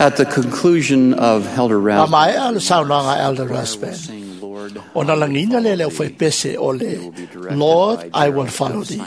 At the conclusion of Elder A Rasband, maea le saunoaga a Elder Rasband, sing, Lord, ona lagiina lea le aufaipese o le Lord, I Will Follow Thee,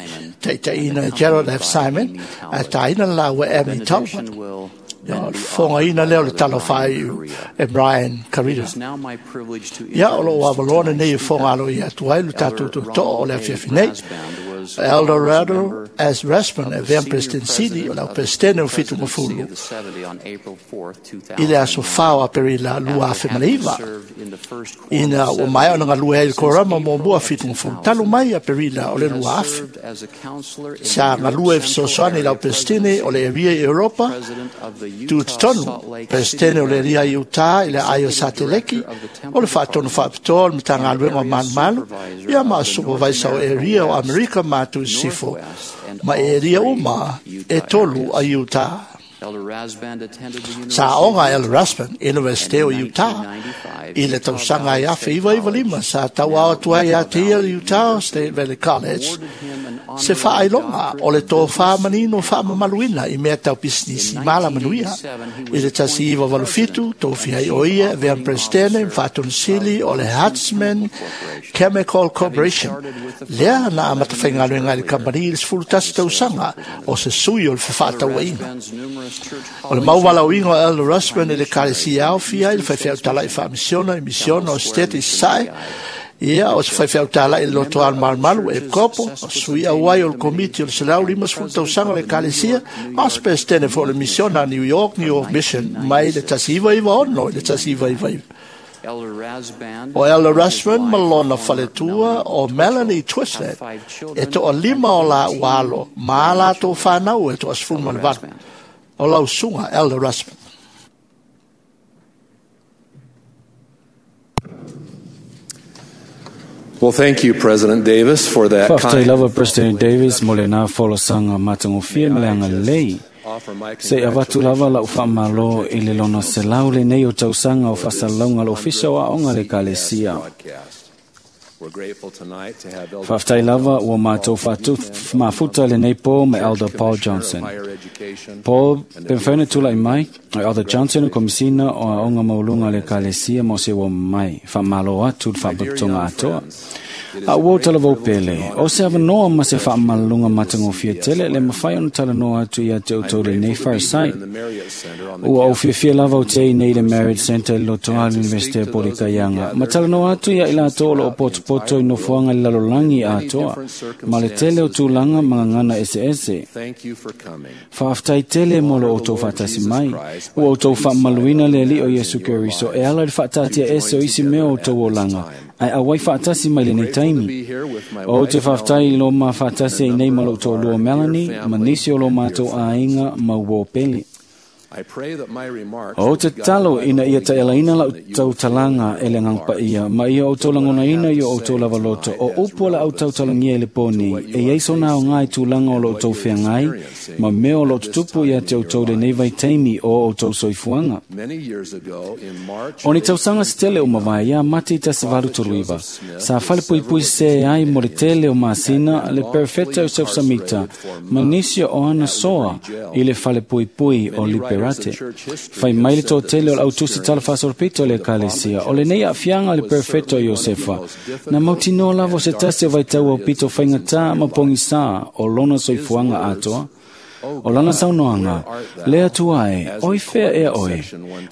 taitaiina e Gerald F. Simon, ae tāina le laua Amy Talbot. benediction will Ia, then o le be fofogaina offered lea o by le tala Brother Brian faaiu Korea. e Brian It Karita. is now my privilege to Ia, o loo introduce avaloa lenei e tonight's fofoga speaker. aloaia atu ai lo tatou Elder tootoo o le Ronald A. afiafi nei. Rasband was Elder was a Rado member S. Rasband of e the vea senior President Sili o president le of the Peresetene o Fitu presidency Mafulu of the 70 on April 4th, i le aso 2001. 4 o Aperila After having 2009. served in the first quorum Ina of ua maea 70 ona galue ai le since korama April muamua of fitu mafulu 2000, talu mai Aperila o le he has 2000. served as a counselor in Sa the Europe galue Central fesoasoani i Area lau Peresetene o le Presidency, Eria i Europa, president of the Utah tutotonu Salt Lake City Peresetene o le area, Eria i Utah i le aio executive Sateleki, director of the o Temple le faatonu Department, faapitoa o le and Matagaluega o area Malumalu, supervisor ia ma of the North supervisor o America Eria o West, Amerika ma Sisifo, Northwest, and ma all eria three uma e Utah tolu a areas. Utah. Elder Rasband attended the University Sa aoga of El Utah, Rasband, Universite o and in Utah, 1995, i le Utah tausaga Valley ai afe State iva iva College, lima, sa tauao now atu ai Utah ia te ia Valley Utah University, State Valley College, awarded him an se honorary faailoga o doctorate le in tofā business manino and commerce. faamamaluina i mea tau pisinisi In ma alamanuia. 1987, he I was le tasi iva appointed valu fitu, president tofi and ai chief o ia, vea operating Presidente, officer faatonisili of o le Huntsman Huntsman Chemical Corporation, Chemical having Corporation. started with the Lea firm na 11 amata years faigaluega i le earlier kamupani i le 11 as a sales tausaga o representative. se sui o le Elder fefaatauaiga. Rasband's numerous church O le callings mauvalauiga o include Elder Rasband i le full-time missionaries kalesia in the aofia i le Eastern faifeau States talai Mission, faamisiona i misiona Temple o Square Sitete i Missionary Sasae, Guide, ia o se faifeau talai i le member loto of the malumalu e church's kopo, o sui auai o le Sesquicentennial Committee, komiti o le selau and 50 president tausaga o of le the New kalesia, York, New ma o se York Peresetene foi o le Youth misiona Mission New York, New from York Mission, mai le 1996 1996 to i le 1999. 1999. Elder Rasband O Elder and his Rasband ma wife, lona former faletua Melanie o Melanie Twitchell, have Twistlet, 5 e children toa and lima o la 18 ualo, ma a latou grandchildren. fanau e toa Elder 18. Rasband. O lau suga Elder Rasband. Well, thank you, President Davis, for that Faafetai kind lava President Davis mo lena folasaga matagofie ma le agalelei. offer my Se i avatu lava lau faamalo i le lona selau lenei o tausaga o faasalalauga le ofisa o aoga le ekalesia. broadcast. We're grateful tonight to have Elder Faafetai lava ua matou mafuta lenei po ma Elder Paul Commissioner of Johnson. Higher Education Paul pe mafai ona tulai mai o Elder Johnson o Komisina o Aoga Maualuga a le Ekalesia mo se ua mai faamalo atu le faapotopotoga atoa. A ua o talavou pele, o se avanoa ma se faamalaluga matagofie tele le mafai ona talanoa atu ia te outou lenei farisai. in the Marriott Center on the Ua ou fiafia lava o te ai nei le Marriott Center i le lotoa le Universite o Polikaianga. Ma talanoa atu ia i latou o loo potopoto i nofoaga i le lalolagi atoa, ma le tele o tulaga ma gagana eseese. Thank you for coming. Faafetai tele mo lo outou faatasi mai. Ua outou faamamaluina le Alii o Iesu Keriso e ala i le faataatia ese o isi mea o outou olaga, ae auai faatasi mai lenei taimi. Be here with my O te wife, faafetai i lo mafaatasi ai nei ma lou toalua Melanie, ma nisi o lo matou aiga ma uo pele. I pray that my remarks O will te be guided tatalo by the ina ia Holy taelaina Ghost lau and that you tau will talaga e le agaga paia, ma ia outou lagonaina i o outou lava loto, o upu o la outou talagia i le poni, e iai sona aoga i tulaga o lo outou feagai, ma mea o lo tutupu ia te outou lenei vaitaimi o outou soifuaga. Many years ago, in March O ni tausaga se tele o mavae ia mate i tasi valu tolu iva. Sa falepuipui se ai mo le tele o masina le perfeta o Joseph Samita, ma nisi o ana soa i le falepuipui o Liberate. Fai mai le tōtele o le autusi tala faasolopito o le ekalesia, o lenei aafiaga le perfeto o Iosefa. Na mautinoa lava o se tasi o vaitau o pito faigata ma pogisā o lona soifuaga atoa. O lana saunoaga, le atua e, oi fea ea oe.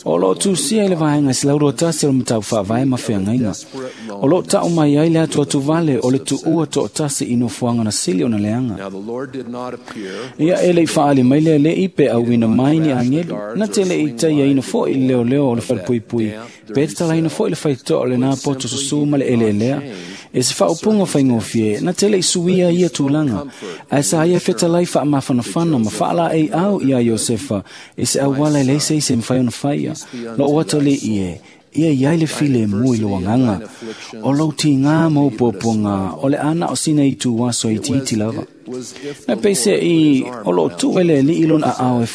O loo tusia i le vaega 121 o le matau faavae ma feagaiga. O loo tau mai ai le atu atu vale o le tuua toatasi i nofoaga na sili ona leaga. Now the Lord did not appear Ia e lei faali mai lea le i pe auina mai ni agelu. Na te le i taiaina foi i le leoleo o le falepuipui. Pe tatalaina foi le faitoa o lena poto susu ma le eleelea. E se faaupuga faigofie, na te le i suia ia tulaga. Ae sa ia fetalai faamafanafana ma faalaei au ia Iosefa, e se auala e leai se isi e mafai ona faia. Loo atalii e, ia iai le file mu i lo agaga. O lou tigā ma ou puapuaga, o le ana o sina i tu aso i itiiti lava. was if Na the peise Lord i put his arm o loo around tuu ele li i lona aao e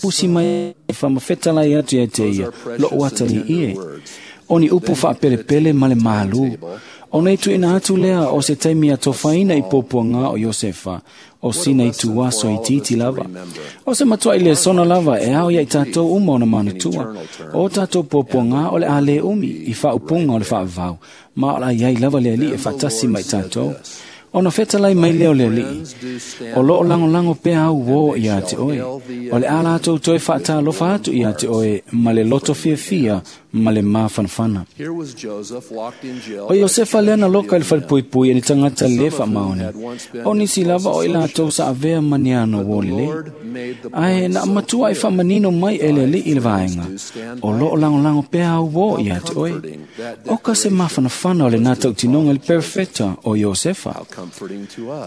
pusi mai e faamafetalai atu ia te ia, loo atalii e. O ni upu faapelepele ma le mālū. Ona i tuuina atu lea o se taimi atofaina i puapuaga o Iosefa, o sina ituaso itiiti lava. O se matuai lesona lava e ao ia i tatou uma ona manatua. O tatou puapuaga o le a lē umi i faaupuga o le faavavau, ma o le a iai lava le Alii e faatasi ma i tatou. Ona fetalai mai lea o le Alii, o loo lagolago pea au uō ia te oe. O le a latou toe faatalofa atu ia te oe ma le loto fiafia ma le mafanafana. O Iosefa lea na loka i le falepuipui e ni tagata lē faamaoni. O nisi lava o i latou sa avea ma ni ana uō lelei. Ae na matua i faamanino mai e le Alii i le vaega, o loo lagolago pea au uō ia te oe. O ka se mafanafana o lenā tautinoga i le perofeta o Iosefa.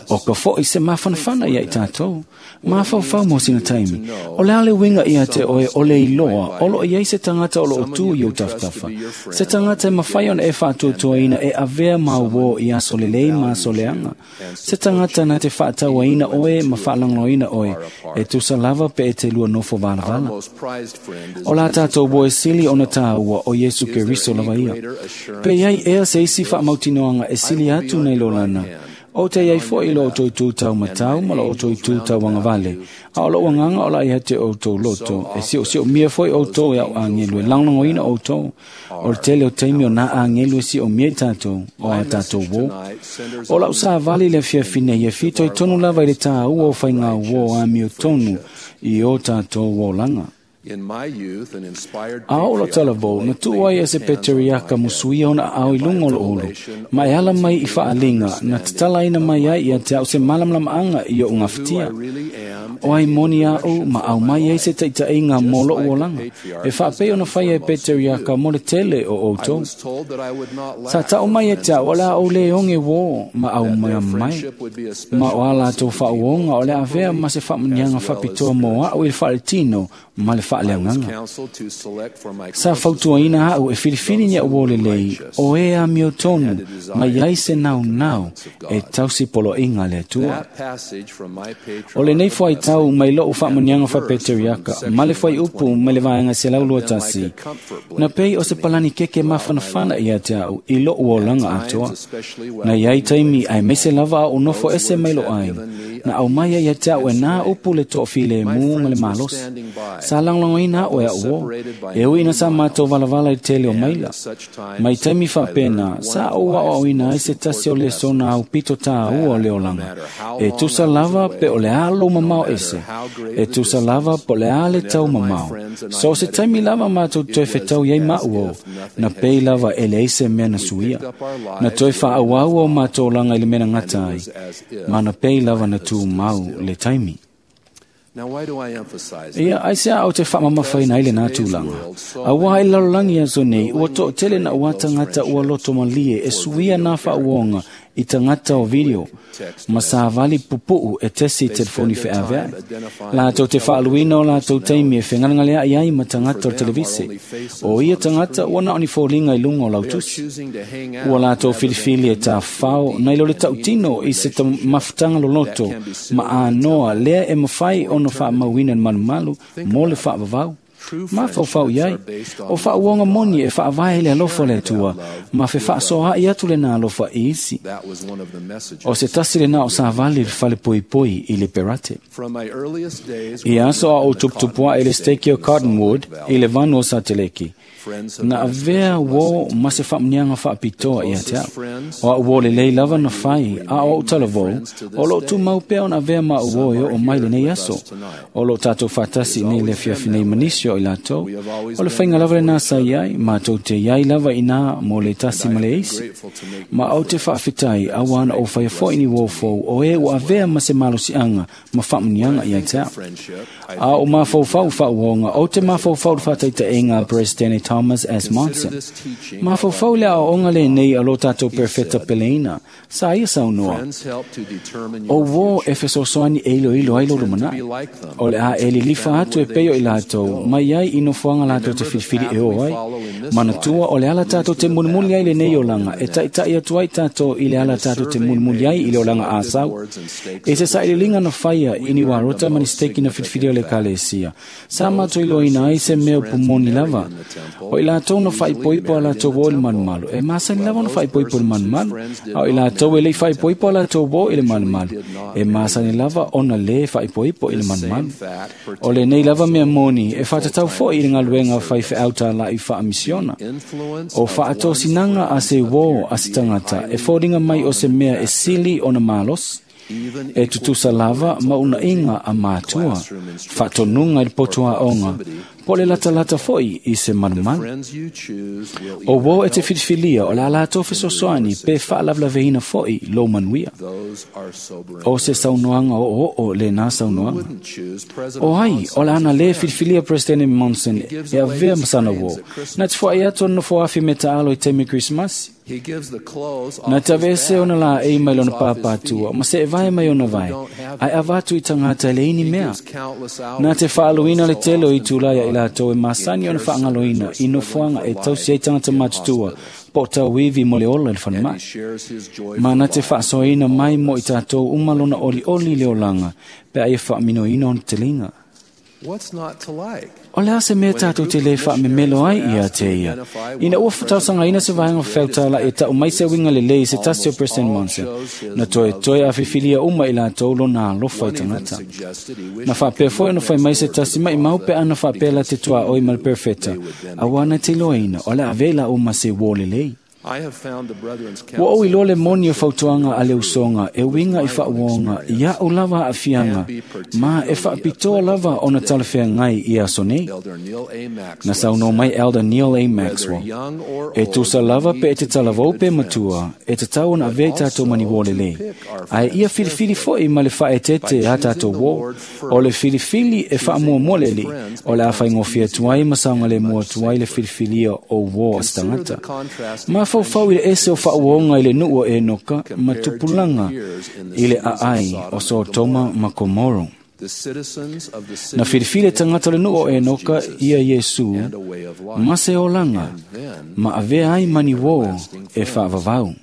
O ka foʻi se mafanafana ia i tatou. Mafaufau mo sina taimi. O le a le uiga ia te oe o le iloa o loo iai se tagata o loo tu i ou tafatafa. Se tagata e mafai ona e faatuatuaina e avea ma uō i aso lelei ma aso leaga. Se tagata na te faatauaina oe ma faalagolagoina oe e tusa lava pe e te lua nofo valavala. O la tatou uō e sili ona tāua o Iesu Keriso lava ia. Pe iai ea se isi faamautinoaga e sili atu nei lo lana. O te iai foʻi lo outou itu taumatau ma lo outou itu tauagavale, a o lou agaga o la ia te outou loto, e siosiomia foi outou e au agelu e lagolagoina outou. O le tele o taimi o nā agelu e siomia i tatou, o a tatou uō. O lau savali le afiafi nei e fitoitonu lava i le tāua o faiga uō amiotonu i o tatou olaga. A o lo talavou, na tuu ai e se peteriaka musuia ona aao i luga o loo ulu, ma e ala mai i faaliga, na tatalaina mai ai ia te au se malamalamaʻaga i oʻu gafatia. O ai moni aʻu ma au mai ai se taʻitaʻiga mo loʻu olaga, e faapei ona faia e peteriaka mo le tele o outou. Sa taʻu mai e te au o le a ou lē oge uō ma au mai mai, ma o a latou faauoga o le avea ma se faamuniaga faapitoa mo aʻu i le faaletino ma le faaleagaga. Sa fautuaina aʻu e filifili ni aʻu uō lelei, o e amiotonu mai ai se naunau e tausi poloaiga a le Atua. O lenei fuaitau mai loʻu faamuniaga faapeteriaka ma le fuaiupu mai le vaega 121, na pei o se palani keke mafanafana ia te aʻu i loʻu olaga atoa. Na iai taimi aemaise lava aʻu nofo ese mai lo aiga, na aumai ai ia te aʻu e nā upu le toafilemu ma le malosi. Sa lagolagoina aʻu e aʻu uō, e ui ina sa matou valavala i le tele o maila. Mai taimi faapena, sa ou aoaoina ai se tasi o lesona aupito tāua o le olaga. E tusa lava pe o le a lou mamao ese, e tusa lava po o le a le tau mamao. So se taimi lava matou toe fetau iai maʻu uō, na pei lava e leai se mea na suia. Na toe faaauau o matou olaga i le mea na gata ai, ma na pei lava na tumau le taimi. Ia, aisea au te faamamafaina ai lenā tulaga. Auā i le lalolagi aso nei, ua toʻatele na uā tagata ua loto malie e suia nā faauoga i tagata o video, ma savali pupuʻu e tesi i telefoni feaveaʻi. Latou te faaluina o latou taimi e fegalegaleaʻi ai ma tagata o le televise. O ia tagata ua na o ni foliga i luga o lautusi. Ua latou filifili e tafafao nai lo le tautino i se mafutaga loloto ma anoa lea e mafai ona faamauina le malumalu mo le faavavau. Mafaufau iai, o faauoga moni e faavae i le alofa o le Atua, ma fefaasoaʻi atu lenā alofa i isi. O se tasi lenā o savali i le falepoipoi i le Perate. I aso a ou tuputupuaʻe i le steki o Cottonwood i le vanu o Sateleki, na avea uō ma se faamuniaga faapitoa ia te aʻu. O aʻu uō lelei lava na fai, a o aʻu talavou, o loo tumau pea ona avea ma aʻu uō e oo mai lenei aso. O loo tatou faatasi i nei le afiafi nei ma nisi o i latou. O le faiga lava lenā sa iai, matou te iai lava inā mo le tasi ma le isi. Ma ou te faafetai, auā na ou faia foʻi ni uō fou o e ua avea ma se malosiaga ma faamuniaga ia te aʻu. A o mafaufau faauoga, ou te mafaufau le faataitaʻiga a Peresetene Thomas S. Monson. Mafaufau le aoaoga lenei a lo tatou perofeta peleina, sa ia saunoa. O uō e fesoasoani e iloilo ai lo lumanaʻi. O le a e lilifa atu e pei o i latou, mai ai i nofoaga latou te filifili e o ai. Manatua o le ala tatou te mulimuli ai lenei olaga, e taʻitaʻi atu ai tatou i le ala tatou te mulimuli ai i le olaga asau. E se sailiiliga na faia i ni uarota ma ni steki na filifili o le ekalesia. Sa matou iloaina ai se mea pumoni lava. O i latou na faaipoipo a latou uō i le malumalu, e masani lava ona faaipoipo i le malumalu, a o i latou e lei faaipoipo a latou uō i le malumalu, e masani lava ona lē faaipoipo i le malumalu. O lenei lava mea moni e faatatau foʻi i le galuega faifeau talaʻi faamisiona. O faatosinaga a se uō a se tagata e foliga mai o se mea e sili ona malosi, e tutusa lava ma unaʻiga a matua, faatonuga i le poto aoga, po o le latalata foʻi i se malumalu. O uō e te filifilia o le a latou fesoasoani pe faalavelaveina foʻi lou manuia. O se saunoaga oooo lenā saunoaga. O ai o le ana lē filifilia Peresetene Monson e avea ma sana uō, na te foai atu ona nofoafi me taalo i taimi Krisimasi. Na te aveese ona laei mai lona pāpātua, ma seevae mai ona vae, ae avatu i tagata e leai ni mea. Na te faaluina le tele o itulā ia i latou e masani ona faagaloina i nofoaga e tausi ai tagata matutua po o tauivi mo le ola i le falemai. Ma na te faasoaina mai mo i tatou uma lona olioli i le olaga pe a ia faaminoina ona teliga. O le a se mea tatou te lē faamemelo ai ia te ia, ina ua tausagaina se vaega fefautalaʻi e taʻu mai se uiga lelei i se tasi o President Monson, na toetoe afifilia uma i latou lona alofa i tagata. Na faapea foʻi ona fai mai se tasi maʻimau pe ana faapea la te tuaʻoi ma le perefeta, auā na te iloaina o le a avea i laʻu ma se uō lelei. Ua ou iloa le moni o fautuaga a le usoga e uiga i faauoga i aʻu lava aafiaga, ma e faapitoa lava ona talafeagai i aso nei. Na saunoa mai Elder Neil A. Maxwell, e tusa lava pe e te talavou pe matua, e tatau ona avea i tatou mani uō lelei, ae ia filifili foʻi ma le faaeteete a tatou uō. O le filifili e faamuamua le Alii, o le a faigofie atu ai ma saogalemu atu ai le filifilia o uō a se tagata. Mafaufau i le ese o faauoga i le nuu o Enoka ma tupulaga i le aai o Sotoma ma Komoro. Na filifili e tagata o le nuu o Enoka ia Iesu ma se olaga ma avea ai mani uō e faavavau.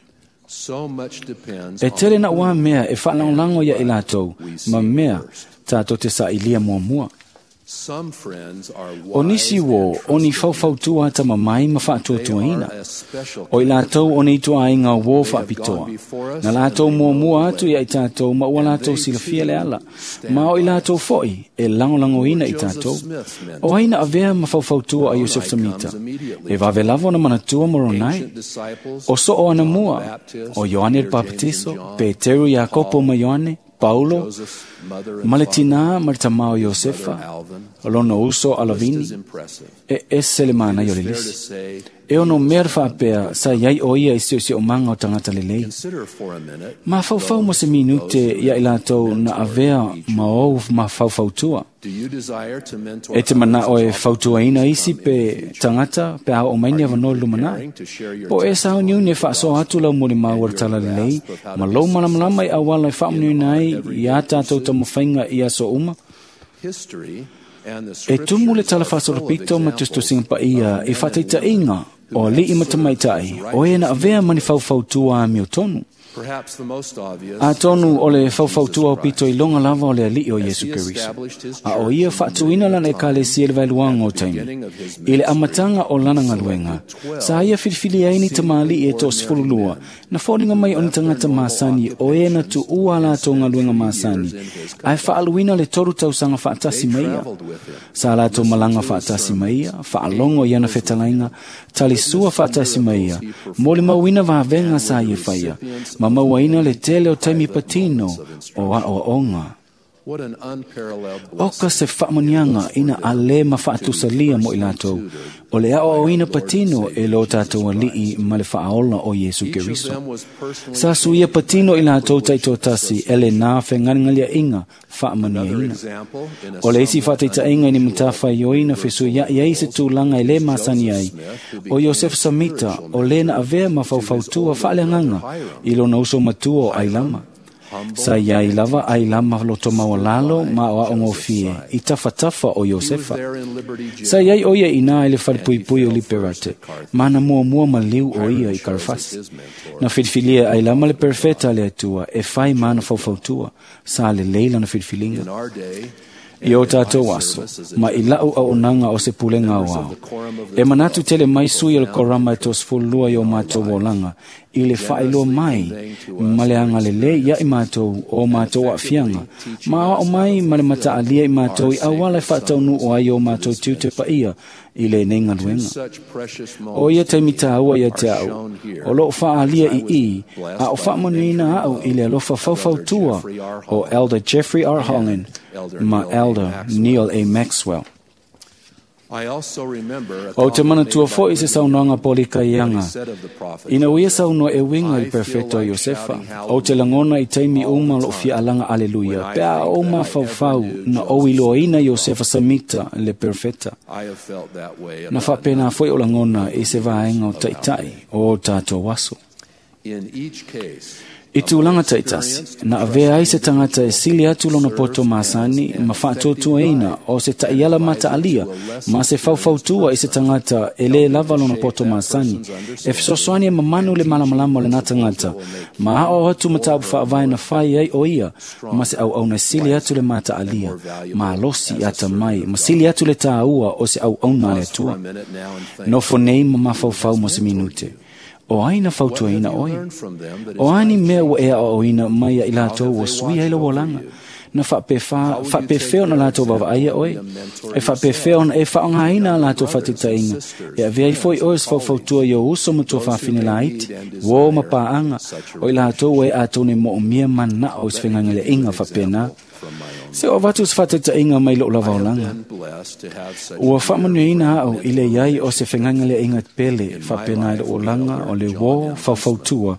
E tele naʻu a mea e faalagolago ia i latou ma mea tatou te saʻilia muamua. O nisi uō o ni faufautua atamamai ma faatuatuaina. O i latou o ni ituaiga uō faapitoa. Na latou muamua atu ia i tatou ma ua latou silafia le ala, ma o i latou foʻi e lagolagoina i tatou. O ai na avea ma faufautua a Iosef Samita, e vave lava ona manatua Moronai. O soo ana mua, o Ioane le Papatiso, Peteru Iakopo ma Ioane, Paulo, ma le tinā ma le tamā o Iosefa, lona uso Alavini, e ese le manaia o le lisi. E ono mea le faapea sa iai o ia i siosiomaga o tagata lelei. Mafaufau mo se minute ia i latou na avea ma ou mafaufautua. E te manaʻo e fautuaina isi pe tagata pe a oo mai ni avanoa i le lumanai. Po o e sauniuni e faasoa atu lau molimau o le talalelei ma lou malamalama i auala e faamanuiaina ai iā tatou taumafaiga i aso uma. E tumu le tala faasolopito ma tusitusiga paia i faataitaʻiga o alii ma tamaitaʻi o e na avea ma ni faufautua amiotonu. Atonu o le faufautua o pito iloga lava o le Alii o Iesu Keriso, a o ia faatuina lana ekalesia i le vaeluaga o taimi. I le amataga o lana galuega, sa ia filifili ai ni tamalii e 12, na foliga mai o ni tagata masani o e na tuua a latou galuega masani, ae faaluina le 3 tausaga faatasi ma ia. Sa latou malaga faatasi ma ia, faalogo i ana fetalaiga, talisua faatasi ma ia, molimauina vavega sa ia faia, ma mauaina le tele o taimi patino o aoaoga. O ka se faamaniaga ina a lē ma faatusalia mo i latou, o le aoaoina patino e lo tatou Alii ma le faaola o Iesu Keriso. Sa suia patino i latou taitoatasi e lenā fegaligaliaʻiga faamanuiaina. O le isi faataitaʻiga i ni matafaioina fesuiaʻi ai se tulaga e lē masani ai, o Iosefa Samita o lē na avea ma faufautua faaleagaga i lona uso matua o Ailama. Sa iai lava Ailama loto maualalo ma o aogofie i tafatafa o Iosefa. Sa iai o ia inā i le falepuipui o Liberate, ma na muamua maliu o ia i Karafasi. Na filifilia Ailama le perfeta le Atua e fai ma na faufautua, sa lelei lana filifiliga. I o tātou aso, ma i lau au onanga o se pulenga o ao. E manatu tele mai sui o le korama e 32 i o mātou olanga, i le whaeloa mai, ma le anga lele ia i mātou o mātou afianga. Ma o mai ma le mataalia i mātou i awala e whaataunu o ai o mātou tiute paia i le nei ngaluenga. O ia taimi tāua ia te au, o loo whaalia i i, a o whaamanuina au i le alofa faufautua o Elder Jeffrey R. Holland ma Elder Neil A. Maxwell. O te manatua foi se saunoaga polikaianga. Ina uia saunoa e winga i perfecto Iosefa. O te langona i taimi uma lo fia alanga aleluia. Pea o mafaufau na o iloaina Iosefa Samita le perfecta. Na whapena foi o langona i se vaenga o taitai o tātou aso. I tūlanga taitasi, na avea ai se tangata e sili atu lona poto masani ma whaatuatuaina o se taiala mataalia ma se faufautua i se tangata e le lava lona poto masani e fesoasoani e mamanu le malamalama o lena tangata ma ao atu mataupu faavae na fai ai o ia ma se auauna sili atu le mataalia ma alosi ata mai ma sili atu le tāua o se auauna le Atua. Nofo nei ma mafaufau mo se minute. O ai na fautuaina oi. O ani mea ua ea o oina mai i lātou ua sui ai le wolanga. Na whaapewheo na lātou vavaia oi. E whaapewheo na e whaongaina a lātou whatitainga. E avea i foi oe se faufautua i o uso ma tua whawhine laiti. Wo ma paanga. O i lātou e a tōne mo o mia mana o se whengangele inga whapena. Se o vatu se whatitainga mai lo lava olanga. Ua whaamanuina au i le iai o se whengangele inga pele whapena i le olanga o le wo faufautua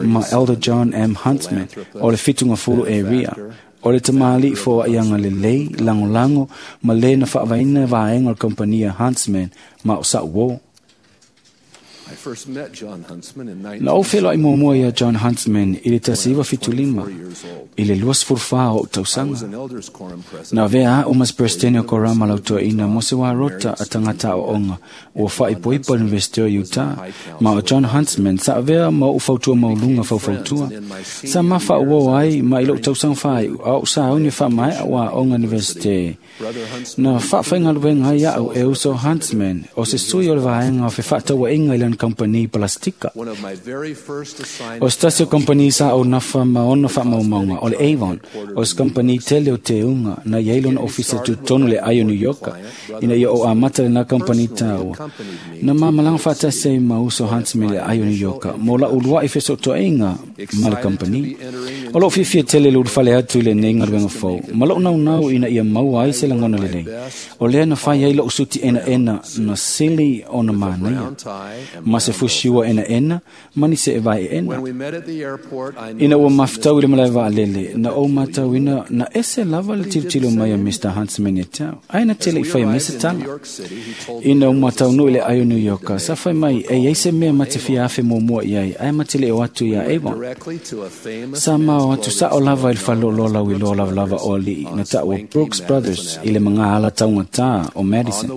ma Elder John M. Huntsman o le fitunga fulu area. O le tamali fo ianga le lei, lango lango, ma le na whaavaina vaenga o le kompania Huntsman ma o sa wo. Na o whelo i muamua ia John Huntsman i le 1975, i le 24 o tausanga. Na vea o mas presidente o Korama lautoa mo se wā rota a tangata o onga ua whaipoipo University o Utah, ma o John Huntsman sa avea ma o fautua maulunga faufautua. Sa mafa o ai ma i lou tausanga whai au sa au ni wha mai a wā onga University. Na whaawhaingaluenga ai au e uso Huntsman o se sui o le vaenga o whewhataua inga i lana kompani plastika. O stasio kompani sa o nafa ma ona whaamaumaunga o le Avon, o se kompani tele o te unga na iailona ofisa tutonu le ai o New Yorka, ina ia o amata le na kompani tāua. Na mamalanga whaatasi ai ma uso Huntsman le ai o New Yorka, mo la ulua i fesotoinga ma le kompani. O loo fiafia tele le urufale atu i le nei ngaluenga fou, ma loo naunau ina ia maua ai se langona lelei. O lea na fai ai loo suti ena ena na sili o na mānaia. Ma se fusiua ena ena, mani se e vai ena. Ina ua mafutau i le malae vaalele, na o matau ina na ese lava le tilotilo mai a Mr. Huntsman e tau. Ai na tele i whai mai se tala. Ina o matau nui le ai o New Yorka, sa whai mai e iai se mea mate fia afe mua i ai, ai matele o atu ia Avon. Sa mao atu sa o lava i le whalolo lau i lo lava lava o alii, na ta o Brooks Brothers i le mga ala taungata o Madison.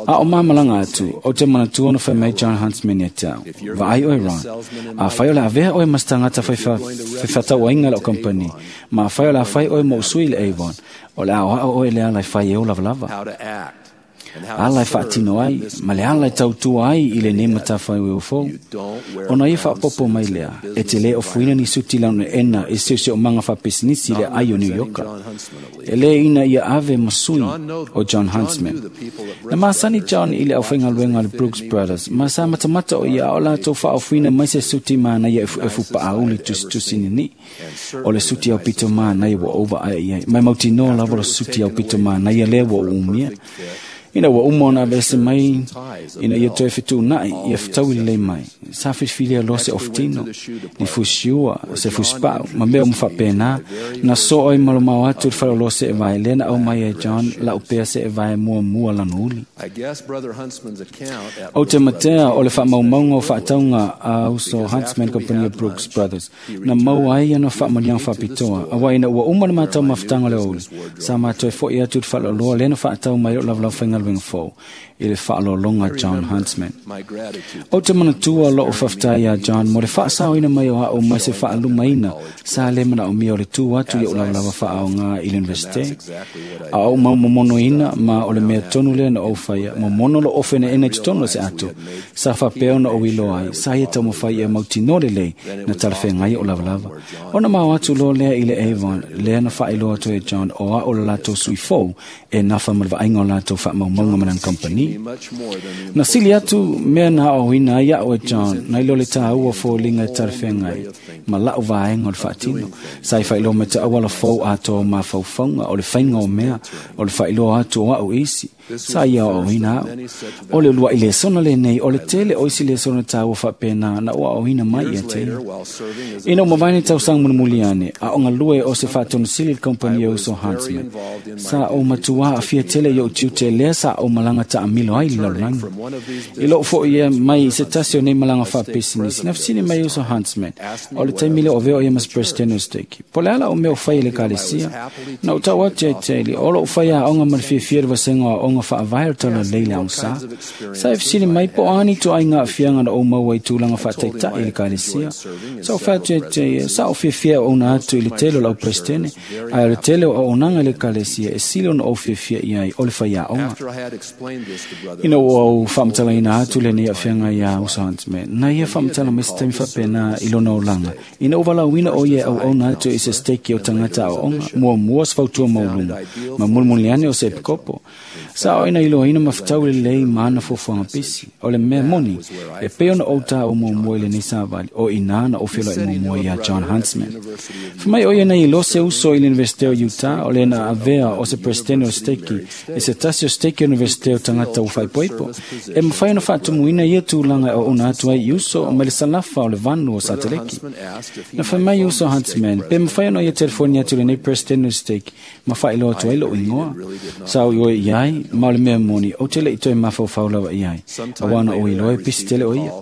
A o mamalanga atu, o te manatua na whai mai John Huntsman e tau. Vaai oe Ron. A whai o le avea oe mas tangata whaiwhatau ainga le o kompani. Ma a whai o le a whai oe mo usui le Avon. O le ao ao oe le ala i whai e o lava lava. Ala e whaatino ai, ma le ala e tautua ai i le nema tawhai ue o fou. Ona ia whaapopo mai lea, e te le o fuina ni suti launa ena e seose o manga whapesinisi le ai o New Yorka. E le ina ia ave masui o John Huntsman. Na maasani John i le au whaingaluenga le Brooks Brothers, ma sa matamata o ia o lātou whaofuina mai se suti maana ia e fupa auli tusitusi nini. O le suti au pito maana ia wa ova ai ai. Mai mauti noa lava le suti au pito maana ia lea wa umia. Ina ua uma ona avese mai ina ia toe fetuunai ia fetaui lelei mai. Sa filifilia loa se ofutino, ni fusiua, se fusipau, ma mea uma faapena, na soo ai malomao atu i le faleoloa se evae, lea na au mai ai John lau pea se evae muamua lana uli. O te matea o le faamaumauga o faatauga a uso Huntsman Company o Brooks Brothers, na maua ai ana faamanuiaga faapitoa, auā ina ua uma le matau mafutaga o le aoauli, sa matoe fo'i atu i le faleoloa lea na faatau mai loo lavalava faigaluega galuega fou i le faaaloaloga a John Huntsman. Ou te manatua lo'u faafetai iā John mo le faasaoina mai o a'u mai se faalumaina sa lē manaomia o le tu atu i o'u lavalava faaaogā i le Universite. A ou mau momonoina ma o le mea tonu lea na ou faia, momono lo'u ofe enaena i totonu o se ato sa faapea ona ou iloa ai sa ia taumafai ia mautinoa lelei na talafeagai o'u lavalava. Ona mao atu loa lea i le Avon, lea na faailoa atu e John o a'u le latou sui fou e nafa ma le vaaiga o latou faamaumauga ma lana kamupani. Na sili atu mea na aoaoina ai a'u e John nai lo le tāua o foliga e talafeagai ma la'u vaega o le faatino. Sa i faailoa mai te auala fou atoa o mafaufauga o le faiga o mea o le faailoa atu o a'u isi sa ia aoaoina a'u. O le ulua'i lesona lenei o le tele o isi lesona tāua faapena na ou aoaoina mai ia te ia. Ina ua mavae nei tausaga mulimuli ane, a o galue o se faatonosili i le kamupani e uso Huntsman, sa ou matuā aafia tele i o'u tiute lea sa ou malaga taamilo ai i le lalolagi. I lo'u fo'i ia mai i se tasi o nei malaga faapisinisi, na fesili mai uso Huntsman, o le taimi lea o avea o ia ma se Peresetene o Steki, po o le a la'u mea o fai i le Ekalesia. Na ou tau atu ia te ia, o lo'u faiaoga ma le fiafia i le vasega o aoga faavae o le talalelei i le aogasā. Sa e fesili mai po o a ni ituaiga aafiaga na ou maua i tulaga faataita'i i le Ekalesia. Sa ou fai atu ia te ia, sa ou fiafia e auauna atu i le tele o le au Peresetene, ae o le tele o auaunaga i le Ekalesia e sili ona ou fiafia i ai o le faiaoga. Ina ua ou faamatalaina atu lenei aafiaga iā Uso Huntsman, na ia faamatala mai se taimi faapena i lona olaga, ina ua valaauina o ia e auauna atu i se steki o tagata aoaoga, muamua o se fautua maualuga, ma mulimuli ane o se epikopo. Sa o ina iloaina ma fetau lelei ma ana fuafuaga pisi. O le mea moni, e pei ona ou tāua muamua i lenei savali, o i inā na ou feloai muamua iā John Huntsman. Fai mai o ia nei iloa se uso i le Universite o Utah, o le na avea o se Peresetene o Steki i se tasi o steki o Universite o tagata ua faaipoipo. E mafai ona faatumuina ia tulaga e auauna atu ai i uso mai le salafa o le vanu o Sateleki. Na fai mai uso Huntsman, pe mafai ona ia telefoni atu i lenei Peresetene o Steki ma faailoa atu ai lo'u igoa. Sa ou ioe i ai, ma o le mea moni, ou te le'i toe mafaufau lava i ai, auā na ou iloa e pisi tele o ia.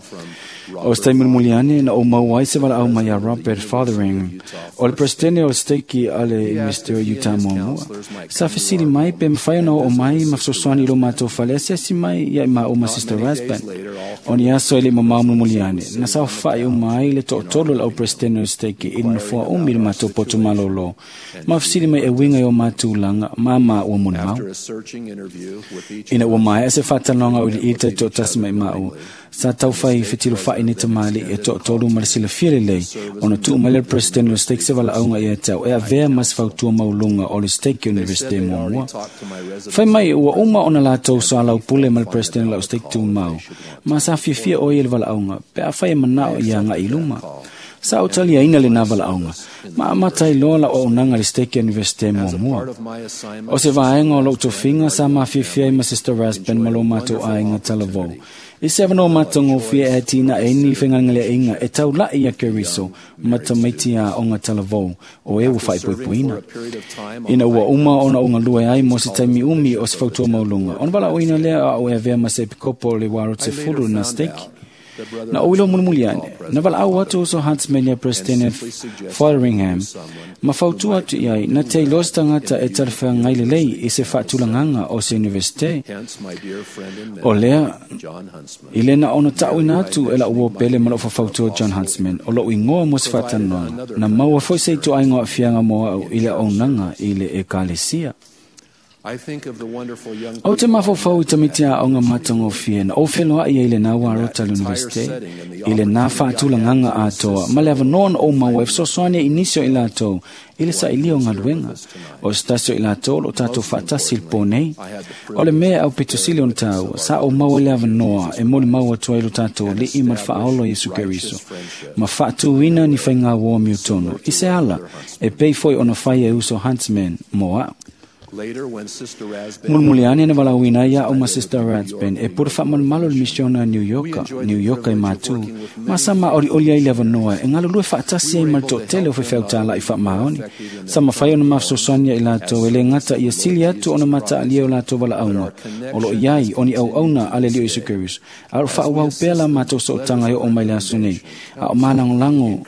O se taimi mulimuli ane na ou maua ai se valaau mai iā Robert Fotheringham, o le Peresetene o le Steki a le Universite o Utah muamua. Sa fesili mai pe mafai ona oo mai ma fesoasoani i lo matou fale asiasi mai ia i maua ma Sister Rasband. O ni aso e le'i mamao mulimuli ane, na saofa'i uma ai le to'atolu o le au Peresetene o le Steki i le nofoa umi i le matou poto malōlō, ma fesili mai e uiga i o matou tulaga ma maua molimau. Ina ua maea se faatalanoaga auiliili taitoatasi mai maua, sa taufai fetilofa'i nei tamalii e to'atolu ma le silafia lelei ona tuu mai lea le Peresetene o le Stake se valaauga ia te au e avea ma se fautua maualuga o le Stake Universite muamua. Fai mai ua uma ona latou soalaupule ma le Peresetene o la'u Stake tumau, ma sa fiafia o ia i le valaauga pe afai e mana'o ia aga'i i luma. Sa ou taliaina lenā valaauga, ma amata ai loa la'u auaunaga i le Stake Universite muamua. O se vaega o lo'u tofiga sa mafiafia ai ma Sister Rasband ma lo matou aiga talavou, i se avanoa matagofie e atinae ai ni fegalegaleaiga e taula'i iā Keriso ma tamaiti aoga talavou o e ua faaipoipoina. Ina ua uma ona ou galue ai mo se taimi umi o se fautua maualuga, ona valaauina lea o a'u e avea ma se epikopo o le Waro Sefulu lena stake. Na ou iloa mulimuli ane, na valaau atu uso Huntsman iā Peresetene Fotheringham ma fautua atu i ai na te iloa se tagata e talafeagai lelei i se faatulagaga o se Universite. O lea, i le na ona ta'uina atu e la'u uo pele ma la'u faufautua John Huntsman o lo'u igoa mo se faatalanoaga, na maua foi se ituaiga o aafiaga mo a'u i le auaunaga i le Ekalesia. Ou te mafaufau i tamaiti aoga matagofie na ou feloa'i ai i lenā uarota i le Universite, i lenā faatulagaga atoa ma le avanoa na ou maua e fesoasoani ai i nisi o i latou i le sailia o galuega. O se tasi o i latou o lo'o tatou faatasi i le pō nei. O le mea e aupito sili ona tāua, sa ou maua i le avanoa e molimau atu ai lo tatou Ali'i ma le Faaola o Iesu Keriso, ma faatūina ni faigā uo amiotonu i se ala e pei foi ona fai e uso Huntsman mo a'u. Mulimuli ane na valaauina ai a'u ma Sister Rathband e pule faamalumalu i le misiona a New Yorka, New Yorka i matū, ma sa maolioli ai le avanoa e galulue faatasi ai ma le toatele o faifeau tāla'i faamaoni. Sa mafai ona mafesoasoani ia i latou e lē gata ia sili atu ona mataalia o latou valaauga o loo i ai o ni auauna a le Alii o Iesu Keriso, a o lo o faaauau pea la matou sootaga e oo mai le aso nei, a o malagolago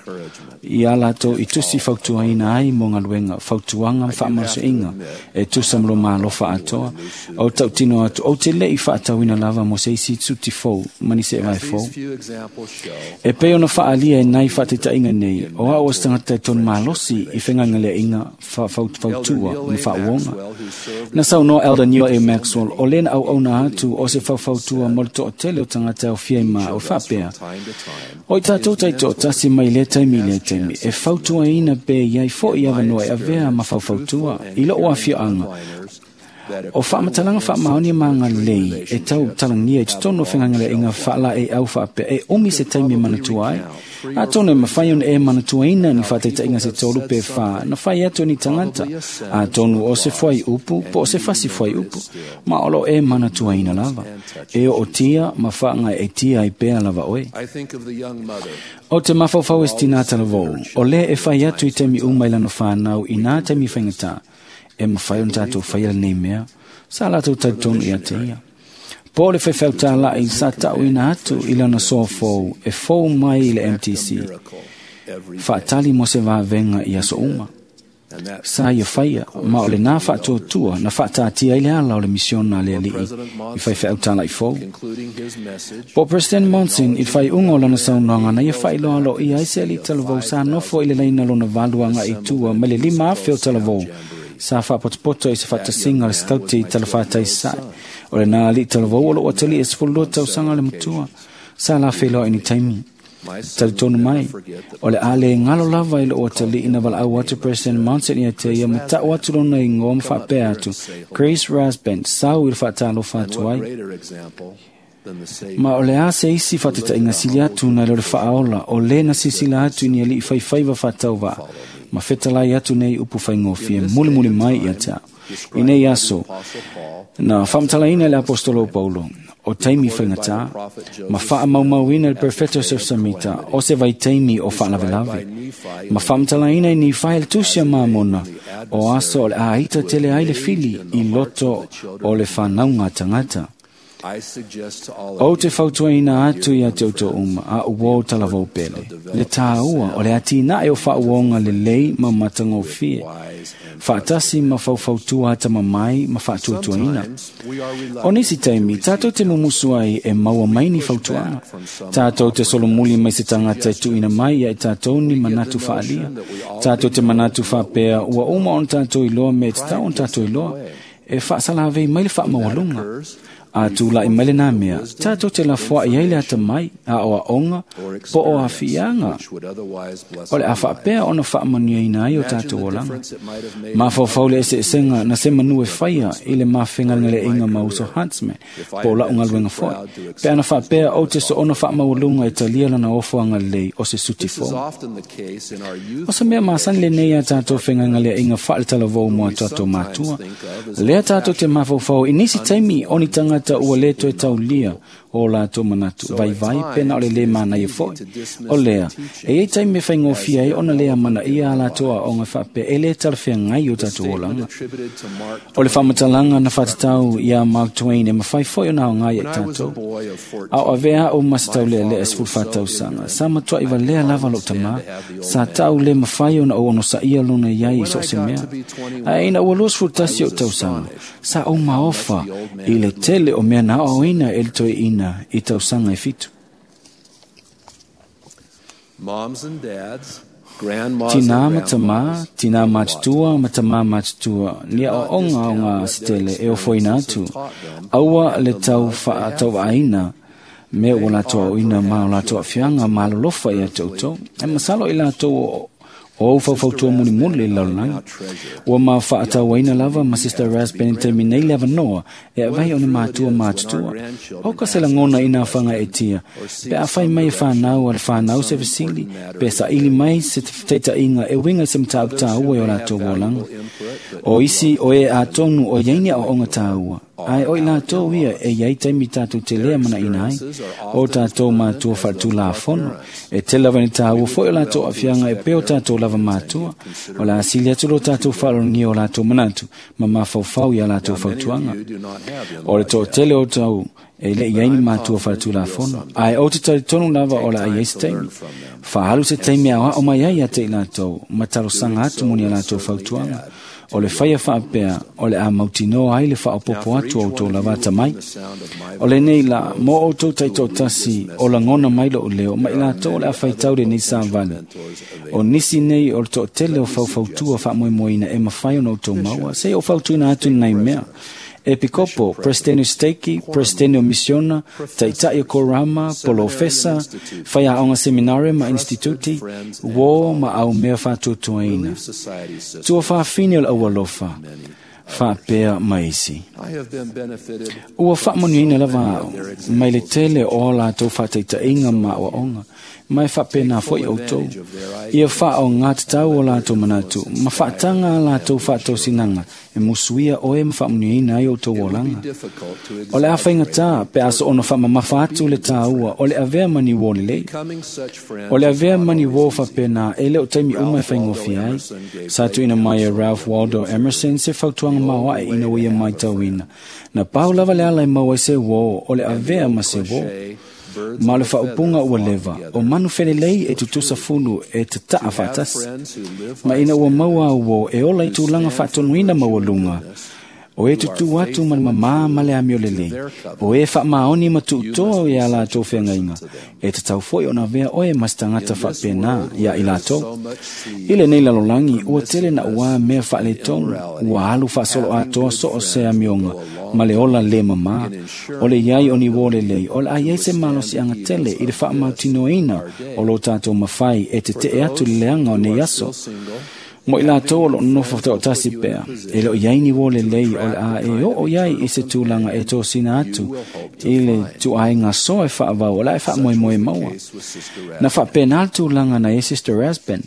iā latou i tusi fautuaina ai mo galuega, fautuaga ma faamalosiaiga e tutusa ma lo malofa atoa. O tautino atu, o te lei whaatawina lava mo se isi tsuti fou, mani se vai fou. E pei ona whaalia e nai whaatetainga nei, o au o stangata e ton malosi i whengangale inga whaufautua ma whaauonga. Na sau no Elder Neil A. Maxwell, o lena au auna atu o se whaufautua mo le to'atele o tangata o fia ma o whapea. O i tātou taito tasi mai le taimi le taimi, e fautua ina pe iai fo i awanoa e avea ma whaufautua, i lo o awhianga. O whaamatalanga whaamaoni maanga lei, e tau talangia i titono whengangale inga whaala e au whaapea, e omi se taimi manatua ai. A tonu e mawhai ona e manatua ina ni whaataita inga se tolu pe wha, na whai atu ni tangata. A tonu o se whai upu, po o se whasi whai upu, ma olo e manatua ina lava. E o tia, ma whaanga e tia i pea lava oe. O te mawhauwhau e stina talavou, o le e whai atu i temi umailano whanau i nā temi whaingata, e mawhai on tātou whaia nei mea, sa lātou tautonu i a te ia. Po le whewhau tālai sa tau ina atu i lana soa fou, e fou mai i le MTC. Whaatali mo se vāvenga i aso uma. Sa ia whaia, ma o le nā whaatuatua, na whaataatia i le ala o le misiona le alii, i whaiwhau tālai fou. Po President Monson i whai unga o lana saunoanga na ia whailoa lo ia ese ali talavou sa nofo i le leina lona valuanga i tua mai le 5,000 o talavou. Sa whaapotopoto i se whaatasinga le skauti i talawhātai sai. O le nā ali talavou o lo atali e sefulu tausanga le matua. Sa la wheloa i ni taimi. Talitonu mai. O le ale ngalo lava i lo atali ina wala au atu President Monson ia te ia matau atu lona i ngō mwhaapea atu. Grace Rasband, sau i le whaatalo whaatuai. Ma o le a se isi whateta inga sili atu na le whaaola o le na sisila atu ni ali whaiwhaiwa whatauwa. Ma whetalai atu nei upu whaingofie muli muli mai ia te au. I nei aso, na whamtalaina le apostolo Paulo, o taimi whaingata, ma whaamaumauina le perfecto Joseph Samita, o se vai taimi o whaalavelave. Ma whamtalaina i ni whael tusia maamona, o aso o le aaita tele ai le fili i loto o le whanaunga tangata. O te fautuaina atu ia te auto uma, a uo talavou pele. Le tāua o le atina e o whaauonga le lei ma matangofie. Whaatasi ma faufautua ata mamai ma whaatuatuaina. O nisi taimi, tātou te mumusu ai e maua mai ni fautuanga. Tātou te solomuli mai se tangata e tuina mai ia e tātou ni manatu whaalia. Tātou te manatu whaapea ua uma on tātou iloa me te tau on tātou iloa. E whaasalawei mai le whaamaualunga. A tūla i maile nā mea, tātou te lafoa i aile ata mai, a o a onga, po o a fianga. O le a whaapea ona whaamania ina ai o tātou olanga. Ma whawhau le ese esenga na se manu e whaia i le mawhengalengale inga mauso Huntsman, po la ungaluenga foi. Pe ana whaapea o te so ona whaamaualunga e talia lana ofoanga lei o se suti fou. O sa mea maasani le nei a tātou whengalengale inga whaaletalavou mua tātou mātua. Lea tātou te mawhawhau i nisi taimi o ni tangata ua le toe taulia o lātou manatu vai vai pena o le le mana ia foi. O lea, e ei taimi whaingofia e ona lea mana ia a lātou a onga whape e le talawhea ngai o tātou olanga. O le whamatalanga na whatatau ia Mark Twain e mawhai foi o na ngai e tātou. A o avea o masatau lea le esful whatausanga. Sa matua iwa lea lava lo tama, sa tau le mawhai ona o ono sa ia lona iai i so se mea. A ina ua los fultasi o tausanga, sa o maofa i le tele o mea na o ina e le toe ina i tausanga e fitu. Tina matama, tina matutua, matama matutua, nia o onga o ngā sitele e o foina atu. Aua le tau whaatau aina, me o lātou au ina ma o lātou awhianga ma lolofa i a tautou. E masalo i lātou o faufautua muli muli i lalolagi. Ua ma whaatauaina lava ma Sister Rasband te minei lava noa e awai o ni mātua mātutua. O ka se langona i nā whanga e tia. Pe a whai mai e whanau a le whanau se vesili, pe sa ili mai se teita inga e winga se mtaau tāua i o lātou wolanga. O isi o e a tonu o iaini o onga tāua. Ai o i lātou ia e iai taimi tātou te lea mana ina ai. O tātou mātua whaatu la fono. E te lava ni tāua foi o lātou awhianga e peo tātou lava mātua. O la asili atu lo tātou whaarongi o lātou manatu. Ma mawhauwhau i a lātou whautuanga. O le tō tele o tau e le iai ni mātua whaatu la fono. Ai o te tari tonu lava o la ai se taimi. Whahalu se taimi a o mai ai a te i lātou. Matarosanga atu moni a lātou whautuanga. O le faia faapea o le a mautinoa ai le faaopoopo atu o outou lava atamai. O lenei la mo outou taitoatasi o lagona mai lo'u leo ma i latou o le a faitau lenei savali. O nisi nei o le toatele o faufautua faamoemoeina e mafai ona outou maua, se i ou fautuina atu i nai mea. Epikopo, Presidente Steiki, Presidente o Missiona, Taitai o Korama, Polofesa, Whaiaonga Seminare ma Instituti, Wō ma au mea whātuatuaina. Tua whāwhine o le aualofa, whāpea maisi. Ua whaamanuiaina lava au, mai le tele o a latou faataitaiga ma aoaoga, ma e faapena foi outou. Ia faaogatataua o latou manatu, ma faataga a latou faatosinaga, e musuia oe ma faamanuiaina ai outou olaga. O le a faigata pe a soona faamamafa atu le tāua o le avea ma ni uō lelei. O le avea ma ni uō faapena e le o taimi uma e faigofie ai. Sa tuuina mai e Ralph Waldo Emerson se fautuaga maoae ina ua ia matauina. Na pau lava le ala e maua ai se uō o le avea ma se uō. Ma o le faaupuga ua leva, o manu felelei e tutusa fulu e tataa faatasi. Ma ina ua maua au uō e ola i tulaga faatonuina maualuga, o e tutū atu ma le mamā ma le amio lelei, o e faamaoni ma tuutoa ia latou feagaiga, e tatau foi ona avea oe ma se tagata faapena ia i latou. I lenei lalolagi, ua tele na uā mea faaletonu, ua alu faasoloatoa so o se amioga, ma le ola le mamā. O le iai o ni uō lelei, o le a iai se malosiaga tele i le faamautinoaina o lo tatou mafai e tetee atu i le leaga o nei aso. Mo i latou o loo nofo toatasi pea, e le o iai ni uō lelei o le a e oo iai i se tulaga e tosina atu i le tuaiga soa e faavau o le a e faamoemoe maua. Na faapena le tulaga na iai Sister Rasband.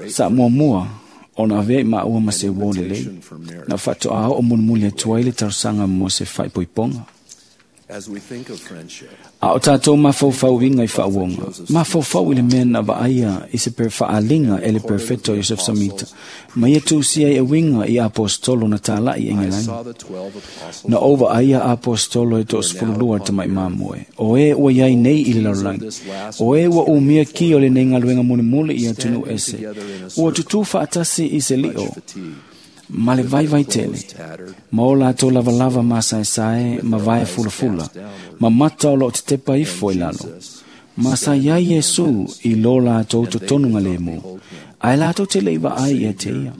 Sa muamua ona avea i maua ma se uō lelei, na faatoa oo mulimuli atu ai le talosaga mo se faaipoipoga. A o tātou mafaufauiga i faauoga, mafaufau i le mea na vaaia i se faaalinga e le Perfeto Joseph Samita, ma ia tusia ai uiga i apostolo na tāla'i e Igelani. Na ou vaaia apostolo e 12 le tama'i mamoe, o e ua iai nei i le lalolagi, o e ua umia ki o lenei galuega mulimuli i atunuu ese, ua tutū faatasi i se lio, ma le vaivai tele, ma o latou lavalava masaesae ma vae fulafula, ma mata o loo tetepa ifo i lalo. Ma sa iai Iesu i lo latou totonuga lemu, ae latou te le i vaai ia te ia.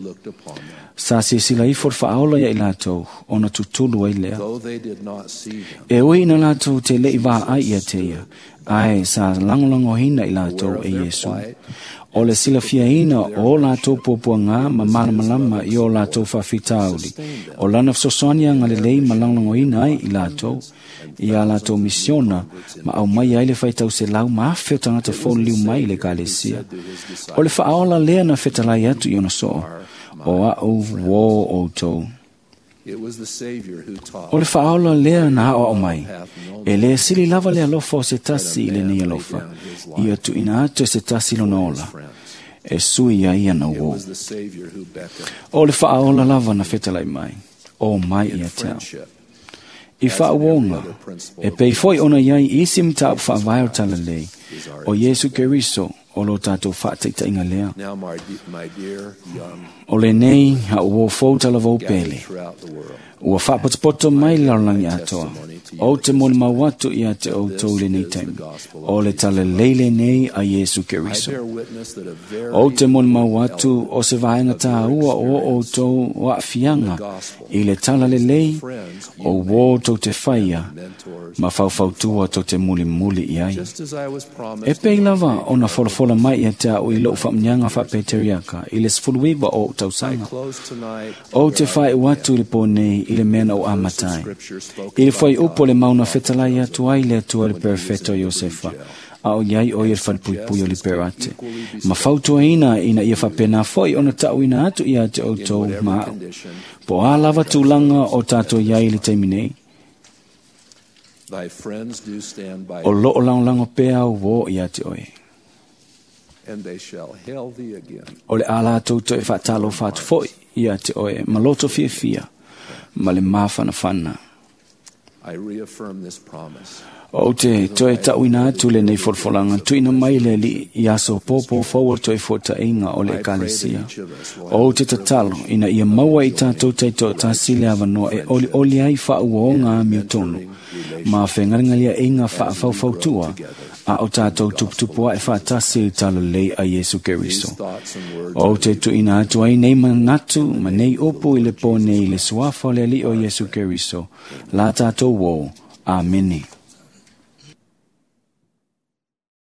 Sa silasila ifo le faaola ia i latou, ona tutulu ai lea. E ui ina latou te le i vaai ia te ia, ae sa lagolagoina i latou e Iesu. O le silafiaina o latou puapuaga ma malamalama i o latou faafitauli, o lana fesoasoani agalelei ma lagolagoina ai i latou, ia latou misiona, ma aumai ai le faitauselau ma afe o tagata foliliu mai i le ekalesia. O le faaola lea na fetalai atu i ona soo, o a'u uō outou. O le faaola lea na aoao mai, e lē sili lava le alofa o se tasi i lenei alofa, ia tuuina atu e se tasi lona ola, e sui ai ana uō. O le faaola lava na fetalai mai, o mai ia te au. I faauoga, e pei foi ona iai isi mataupu faavae o le talalelei, o Iesu Keriso o lo tatou faataitaiga lea. O lenei a'u uō fou talavou pele, ua faapotopoto mai le lalolagi atoa, ou te molimau atu ia te outou i lenei taimi, o le talalelei lenei a Iesu Keriso. Ou te molimau atu o se vaega tāua o outou aafiaga i le talalelei o uō tou te faia ma faufautua tou te mulimuli i ai. E pei lava ona folafola mai ia te a'u i lo'u faamuniaga faapeteriaka i le 19 o ou tausaga. Ou te faai'u atu i le pō nei i le mea na ou amata ai. I le fuaiupu o le mauna fetalai atu ai le Atua i le Perfeto Iosefa, a o iai o ia le falepuipui o Liberate. Ma fautuaina ina ia faapena foi ona ta'uina atu ia te outou ma a'u. Po o a lava tulaga o tatou iai i le taimi nei, o loo lagolago pea au uō ia te oe. O le a latou toe faatalofa atu foi ia te oe ma loto fiafia ma le mafanafana. Ou te toe tauina atu lenei folafolaga tuuina mai e le Alii i aso popo fou o le toefuataiga o le Ekalesia. Ou te tatalo ina ia maua i tatou taitoatasi le avanoa e olioli ai faauoga amiotonu ma fegalegaleaiga faafaufautua a o tatou tuputupuae faatasi i le talalelei a Iesu Keriso. Ou te tuuina atu ai nei manatu ma nei upu i le po nei i le suafa o le Alii o Iesu Keriso, la tatou uō. Amene.